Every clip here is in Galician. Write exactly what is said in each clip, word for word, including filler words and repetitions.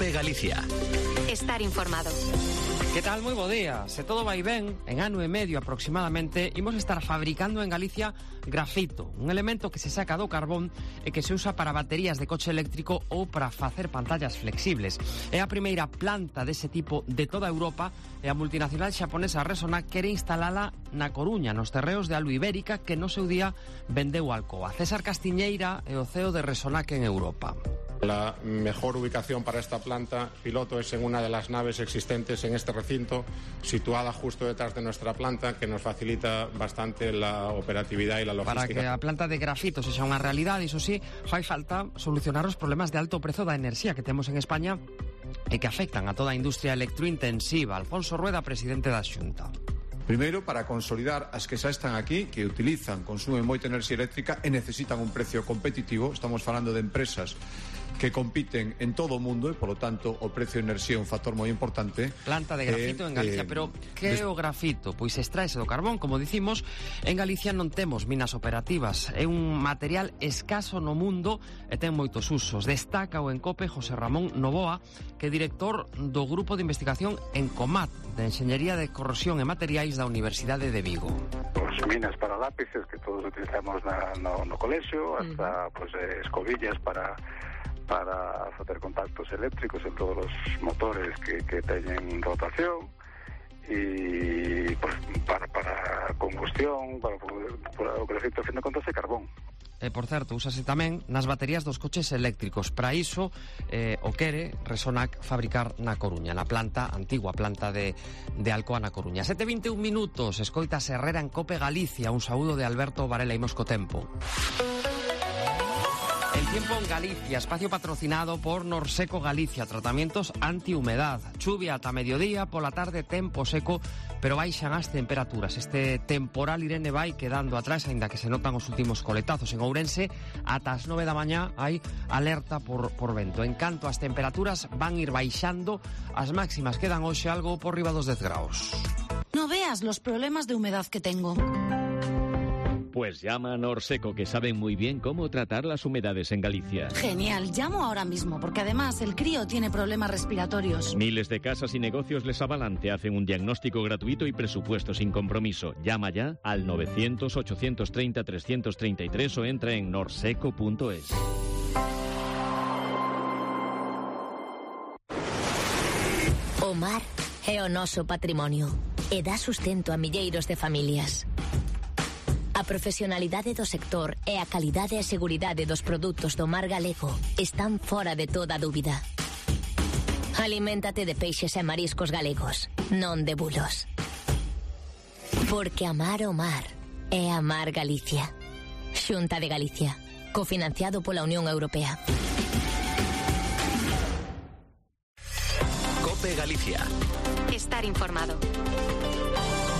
COPE Galicia. Estar informado. Que tal? Moi bo día. Se todo vai ben, en ano e medio aproximadamente, imos estar fabricando en Galicia grafito, un elemento que se saca do carbón e que se usa para baterías de coche eléctrico ou para facer pantallas flexibles. É a primeira planta dese tipo de toda Europa e a multinacional xaponesa Resonac quere instalala na Coruña, nos terreos de Alba Ibérica, que no seu día vendeu Alcoa. César Castiñeira é o C E O de Resonac en Europa. La mejor ubicación para esta planta piloto es en una de las naves existentes en este recinto, situada justo detrás de nuestra planta, que nos facilita bastante la operatividad y la logística. Para que a planta de grafito sexa unha realidade, iso sí, fai falta solucionar os problemas de alto prezo da enerxía que temos en España e que afectan a toda a industria electrointensiva. Alfonso Rueda, presidente da Xunta. Primeiro, para consolidar as que xa están aquí, que utilizan, consumen moita enerxía eléctrica e necesitan un precio competitivo. Estamos falando de empresas que compiten en todo o mundo e, polo tanto, o precio de enerxía é un factor moi importante. Planta de grafito eh, en Galicia, eh, pero que é o grafito? Pois extraese do carbón, como dicimos. En Galicia non temos minas operativas. É un material escaso no mundo e ten moitos usos. Destaca o Encope José Ramón Novoa, que é director do Grupo de Investigación Encomat, de Enxeñería de Corrosión e Materiais da Universidade de Vigo. Pues minas para lápices, que todos utilizamos na, no, no colexio, hasta mm. pues, eh, escobillas para para facer contactos eléctricos en todos os motores que, que teñen rotación, e pues, para, para combustión, para, para o grafito, a fin de contas, é carbón. E, por certo, úsase tamén nas baterías dos coches eléctricos. Para iso, eh, o quere Resonac fabricar na Coruña, na planta, antigua planta de, de Alcoa na Coruña. sete e vinte e un minutos, escoita Herrera en Cope Galicia. Un saúdo de Alberto Varela, imos co tempo. El tiempo en Galicia, espacio patrocinado por Norseco Galicia, tratamientos antihumedad, chuvia ata mediodía, pola tarde tempo seco, pero baixan as temperaturas. Este temporal Irene vai quedando atrás, aínda que se notan os últimos coletazos. En Ourense, ata as nove da mañá hai alerta por, por vento. En canto as temperaturas van ir baixando, as máximas quedan hoxe algo por riba dos dez graus. No veas los problemas de humedad que tengo. Pues llama a Norseco, que saben muy bien cómo tratar las humedades en Galicia. Genial, llamo ahora mismo, porque además el crío tiene problemas respiratorios. Miles de casas y negocios les avalan, te hacen un diagnóstico gratuito y presupuesto sin compromiso. Llama ya al novecientos, ochocientos treinta, trescientos treinta y tres o entra en norseco punto es. O mar é o noso patrimonio e dá sustento a milleiros de familias. A profesionalidade do sector e a calidade e seguridade dos produtos do mar galego están fora de toda dúbida. Aliméntate de peixes e mariscos galegos, non de bulos. Porque amar o mar é amar Galicia. Xunta de Galicia, cofinanciado pola Unión Europea. COPE Galicia. Estar informado.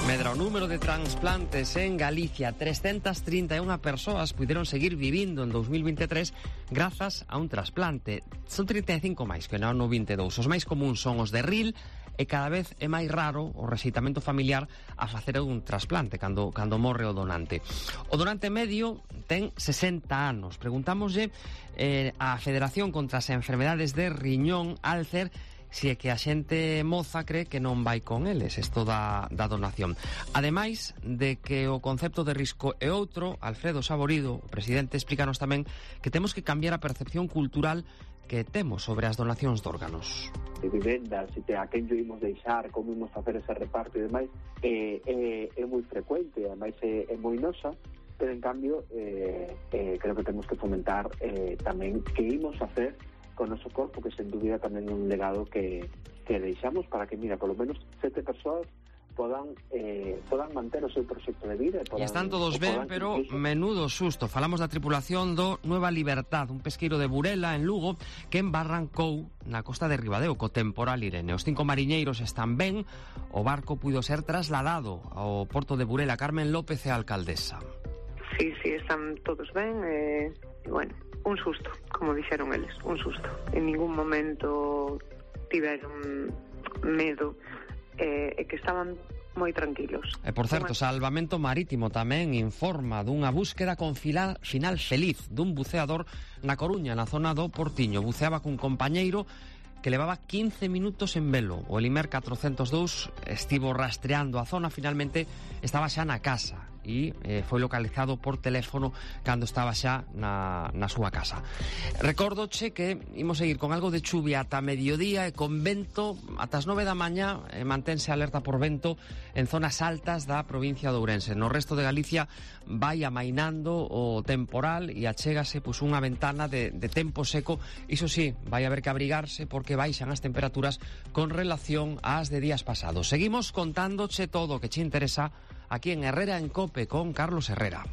Medra o número de transplantes en Galicia. trescentas trinta e unha persoas puderon seguir vivindo en dos mil veintitrés grazas a un trasplante. Son trinta e cinco máis que no ano vinte e dous. Os máis comuns son os de R I L e cada vez é máis raro o rexeitamento familiar a facer un trasplante cando, cando morre o donante. O donante medio ten sesenta anos. Preguntámoslle eh, á Federación contra as Enfermedades de Riñón, Alcer, si é que a xente moza cree que non vai con eles isto da, da donación. Ademais de que o concepto de risco é outro, Alfredo Saborido, o presidente, explícanos tamén que temos que cambiar a percepción cultural que temos sobre as donacións de órganos. De vivendas, e a quen lle imos deixar, como imos facer ese reparto e demais, é, é, é moi frecuente, ademais é, é moi nosa, pero en cambio eh, eh, creo que temos que fomentar eh, tamén que imos facer con o noso corpo, que sen dúbida tamén é un legado que, que deixamos para que, mira, polo menos sete persoas podan eh, podan manter o seu proxecto de vida. E están todos ben, pero incluso... menudo susto. Falamos da tripulación do Nueva Libertad, un pesqueiro de Burela, en Lugo, que embarrancou na costa de Ribadeo co temporal Irene. Os cinco mariñeiros están ben, o barco puido ser trasladado ao porto de Burela. Carmen López é a alcaldesa. Sí, sí, están todos ben, e, eh, bueno, un susto, como dixeron eles, un susto. En ningún momento tiveron medo, e eh, que estaban moi tranquilos. E, por certo, Salvamento Marítimo tamén informa dunha búsqueda con final, final feliz dun buceador na Coruña, na zona do Portiño. Buceaba cun compañeiro que levaba quince minutos en velo. O Elimer catrocentos dous estivo rastreando a zona, finalmente estaba xa na casa e eh, foi localizado por teléfono cando estaba xa na, na súa casa. Recórdoche que imos seguir con algo de chuvia ata mediodía e con vento ata as nove da mañá, eh, mantense alerta por vento en zonas altas da provincia de Ourense. No resto de Galicia vai amainando o temporal e achégase pois, unha ventana de, de tempo seco. Iso sí, vai haber que abrigarse porque baixan as temperaturas con relación ás de días pasados. Seguimos contándoche todo o que che interesa aquí en Herrera en Cope con Carlos Herrera.